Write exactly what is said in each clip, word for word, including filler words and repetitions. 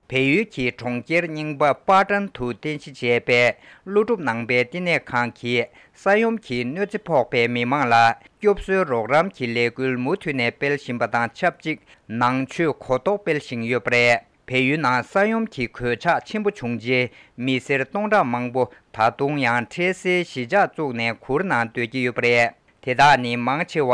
བལ་ཡུལ་གྱི་གྲོང་ཁྱེར་རྙིང་པ་པ་ཊན་དུ་རྟེན་གཞི་བྱས་པའི་ཀླུ་སྒྲུབ་ནང་པའི་བསྟི་གནས་ཁང་གིས་ས་ཡོམ་གྱི་གནོད་འཚེ་ཕོག་པའི་མི་མང་ལ་སྐྱོབ་གསོའི་རོགས་རམ་གྱི་ལས་འགུལ་མུ་མཐུད་ནས་སྤེལ་བཞིན་པ་དང་ཆབས་ཅིག་ནང་ཆོས་གོ་རྟོགས་སྤེལ་བཞིན་ཡོད་པ་རེད། བལ་ཡུལ་ནང་ས་ཡོམ་གྱི་གོད་ཆག་ཆེན་པོ་བྱུང་རྗེས་མི་སེར་སྟོང་ཕྲག་མང་པོ་ད་དུང་ཡང་འཕྲལ་སེལ་གཞིས་ཆགས་བཙུགས་ནས་གུར་ནང་སྡོད་ཀྱི་ཡོད་པ་རེད། དེ་དག་ནི་མང་ཆེ་བ་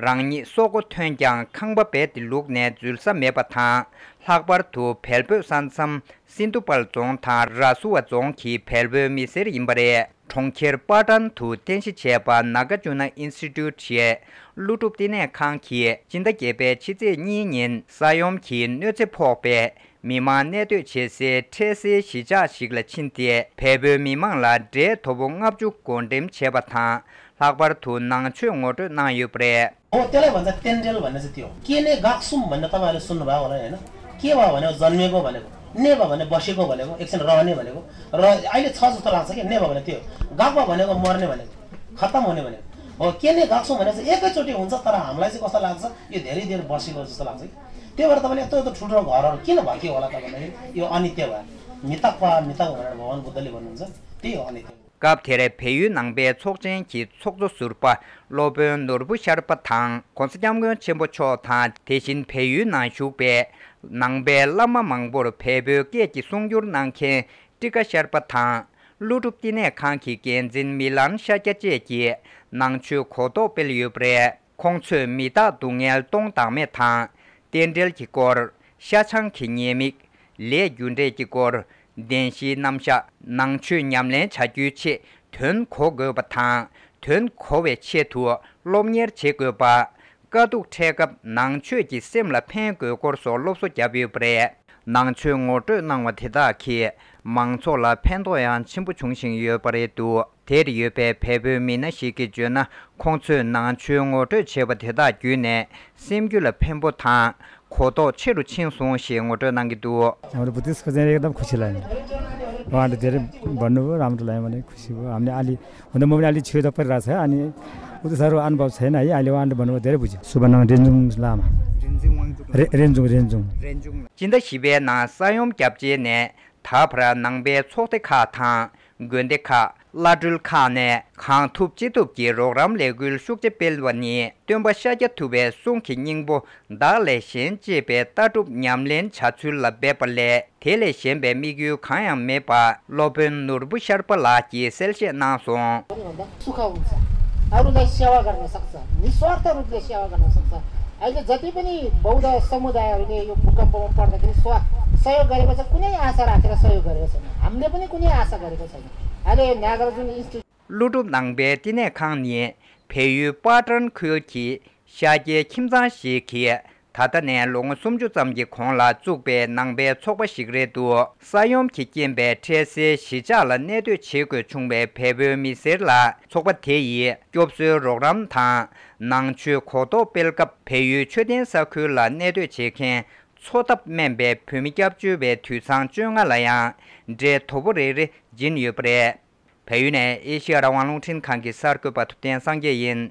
རང་ཉིད་སྲོག་མགོ་ཐོན་ཀྱང་ཁང་པ་རྦད་དེ་ལུག་ནས་འཛུལ་ས་མེད་པ་དང་། ལྷག་པར་དུ་བལ་བོད་ས་མཚམས་སིན་དུ་པལ་རྫོང་དང་ར་སུ་བ་རྫོང་གི་བལ་བོད་མི་སེར་ཡིན་པ་རེད། གྲོང་ཁྱེར་པ་ཊན་དུ་རྟེན་གཞི་བྱས་པ་ནཱ་ག་ཇུ་ན་ཨིན་སི་ཊི་ཊུཊ་ཞེས་ཀླུ་སྒྲུབ་བསྟི་གནས་ཁང་གིས་སྤྱི་ཟླ་བརྒྱད་པའི་ཕྱི་ཚེས་གཉིས་ཉིན་ས་ཡོམ་གྱི་གནོད་འཚེ་ཕོག་པའི་མི་མང་གནས་སྡོད་བྱེད་སའི་འཕྲལ་སེལ་གཞིས་ཆགས་ཤིག་ལ་ཕྱིན་ཏེ། བལ་བོད་མི་མང་ལ་འབྲས་ལྡོག་པོ་ལྔ་བཅུ་བགོ་འགྲེམས་བྱས་པ་དང་། ལྷག་པར་དུ་ནང་ཆོས་ངོ་སྤྲོད་གནང་ཡོད་པ་རེད། हो, त्यसलाई भन्छ तेन्ड्रेल भन्ने चाहिँ त्यो हो। के नै गाक्सुम भन्ने तपाईँहरूले सुन्नुभयो होला नि, होइन? के भयो भने जन्मेको भनेको, ने भयो भने बसेको भनेको, एकछिन रहने भनेको, र अहिले छ जस्तो लाग्छ कि ने भयो भने त्यो हो। गाक्वा भनेको मर्ने भनेको, खत्तम हुने भनेको हो। के नै गाक्सुम भने चाहिँ एकैचोटि हुन्छ, तर हामीलाई चाहिँ कस्तो लाग्छ, यो धेरै देर बसेको जस्तो लाग्छ कि। त्यही भएर तपाईँले यत्रो यत्रो ठुल्ठुलो घरहरू किन भत्कियो होला त भन्दाखेरि यो अनित्य भयो। मितक्वा मितक भनेर भगवान बुद्धले भन्नुहुन्छ, त्यही हो अनित्य। སྐབས་དེར་བལ་ཡུལ་ནང་པའི་ཚོགས་ཆེན་གྱི་ཚོགས་གཙོ་ཟུར་པ་སློབ་དཔོན་ནོར་བུ་ཤར་པ་དང་༸གོང་ས་༸སྐྱབས་མགོན་ཆེན་པོ་མཆོག་དང་། དེ་བཞིན་བལ་ཡུལ་ནང་བཞུགས་པའི་ནང་པའི་བླ་མ་མང་པོར་བལ་པོའི་སྐད་ཀྱི་གསུང་སྒྱུར་གནང་མཁན་ཀྲི་ཀ་ཤར་པ་དང་། ཀླུ་སྒྲུབ་བསྟི་གནས་ཁང་གི་འགན་འཛིན་མི་ལན་ཤཱཀྱ་བཅས་ཀྱིས་ནང་ཆོས་གོ་རྟོགས་སྤེལ་ཡོད་པ་རེད། ཁོང་ཚོས་མི་རྟག་སྡུག་བསྔལ་སྟོང་བདག་མེད་དང་། རྟེན་འབྲེལ་གྱི་སྐོར། ཤ་ཆང་གི་ཉེས་དམིགས། ལས་རྒྱུ་འབྲས་ཀྱི་སྐོར། བདེན་བཞིའི་རྣམ་གཞག་ནང་ཆོས་ཉམས་ལེན་བྱ་རྒྱུའི་ཆེད་དོན་གོ་དགོས་པ་དང་། དོན་གོ་བའི་ཆེད་དུ་སློབ་གཉེར་བྱེད་དགོས་པ། དཀའ་སྡུག་འཕྲད་སྐབས་ནང་ཆོས་ཀྱིས་སེམས་ལ་ཕན་དགོས་སྐོར་སོགས་སློབ་གསོ་བརྒྱབ་ཡོད་པ་རེད། ནང་ཆོས་ངོ་སྤྲོད་གནང་བ་དེ་དག་གིས་མང་ཚོགས་ལ་ཕན་ཐོགས་ཡང་ཆེན་པོ་འབྱུང་བཞིན་ཡོད་པ་རེད་འདུག་དེར་ཡོད་པའི་བལ་པོའི་མི་སྣ་ཞིག་གིས་བརྗོད་ན། ཁོང་ཚོས་ནང་ཆོས་ངོ་སྤྲོད་བྱས་པ་དེ་དག་བརྒྱུད་ནས་སེམས་རྒྱུད་ལ་ཕན་པོ་དང་གོ་རྟོགས་ཆེ་རུ་ཕྱིན་སོང་ཞེས་ངོ་སྤྲོད་གནང་གི་འདུག་རང་རེ་བུ་ཏིས་ཁ་ཚན་རེ་གདམ་ཁུ་ཆི་ལ་ཡིན། རང་རེ་དེ་རེ་བར་ནུ་རང་རེ་ལ་ཡིན་མ་ནི་ཁུ་ཆི་བུ་ཨམ་ནི་ཨ་ལི་འོ་ན་མོ་ནི་ཨ་ལི་ཆོས་དོག་པར་ར་ས་ཨ་ནི་ཨུ་ཏུ་ས་རུ་ཨན་བབ་ས་ན་ཡི་ཨ་ལི་བ་ཨན་བར་ནུ་དེ་རེ་བུ་ཆི་སུ་བ་ནང་རེན་ཛུང་ལ་མ་རེ་རེན་ཛུང་རེན་ཛུང་། སྤྱི་ཟླ་བཞི་པའི་ནང་ས་ཡོམ་བརྒྱབ་རྗེས་ནས་ད་བར་ནང་པའི་ཚོགས་སྡེ་ཁག་དང་། དགོན་སྡེ་ཁག་བླ་སྤྲུལ་ཁག་ནས་གང་ཐུབ་ཅི་ཐུབ་ཀྱིས་རོགས་རམ་ལས་འགུལ་ཤུགས་ཆེ་སྤེལ་བ་ནི། སྟོན་པ་ཤཱཀྱ་ཐུབ་པའི་གསུང་གི་སྙིང་པོ་བདག་ལས་གཞན་གཅེས་པའི་ལྟ་གྲུབ་ཉམས་ལེན་བྱ་ཚུལ་ལ་འབད་པ་ལས། དེ་ལས་གཞན་པའི་དམིགས་ཡུལ་གང་ཡང་མེད་པ། སློབ་དཔོན་ནོར་བུ་ཤར་པ་ལགས་ཀྱིས་གསལ་བཤད་གནང་སོང་། सुख हुन्छ। अरूलाई सेवा गर्न सक्छ, निस्वार्थ रूपले सेवा गर्न सक्छ। अहिले जति पनि बौद्ध समुदायहरूले यो भूकम्पमा पर्दाखेरि स्व सहयोग गरेको छ, कुनै आशा राखेर सहयोग गरेको छैन। हामीले पनि कुनै आशा गरेको छैन। अहिले यो नागार्जुन इन्स्टिट्युट ཀླུ་སྒྲུབ་ནང་པའི་བསྟི་གནས་ཁང་ནི་བལ་ཡུལ་པ་ཊན་ཁུལ་གྱི་ཤཱཀྱའི་ཁྱིམ་ཚང་ཞིག་གིས་ད་ལྟ་ནས་ལོ་ངོ་སུམ་ཅུ་ཙམ་གྱི་གོང་ལ་བཙུགས་པའི་ནང་པའི་ཚོགས་པ་ཞིག་རེད་འདུག་ས་ཡོམ་གྱི་རྐྱེན་པས་འཕྲལ་སེལ་གཞིས་ཆགས་ལ་གནས་སྡོད་བྱེད་དགོས་བྱུང་བའི་བལ་པོའི་མི་སེར་ལ་ཚོགས་པ་དེ་ཡིས་སྐྱོབ་གསོའི་རོགས་རམ་དང་། ནང་ཆོས་གོ་རྟོགས་སྤེལ་སྐབས་བལ་ཡུལ་མཆོད་རྟེན་ས་ཁུལ་ལ་གནས་སྡོད་བྱེད་མཁན་འཚོ་ཐབས་དམན་པའི་བོད་མི་སྐྱབས་བཅོལ་བའི་དུད་ཚང་བཅོ་ལྔ་ལ་ཡང་འབྲས་དོ་པོ་རེ་རེ་སྦྱིན་ཡོད་པ་རེད། བལ་ཡུལ་ནས་ཨེ་ཤེ་ཡ་རང་དབང་རླུང་འཕྲིན་ཁང་གི་གསར་འགོད་པ་ཐུབ་བསྟན་སངས་རྒྱས་ཡིན།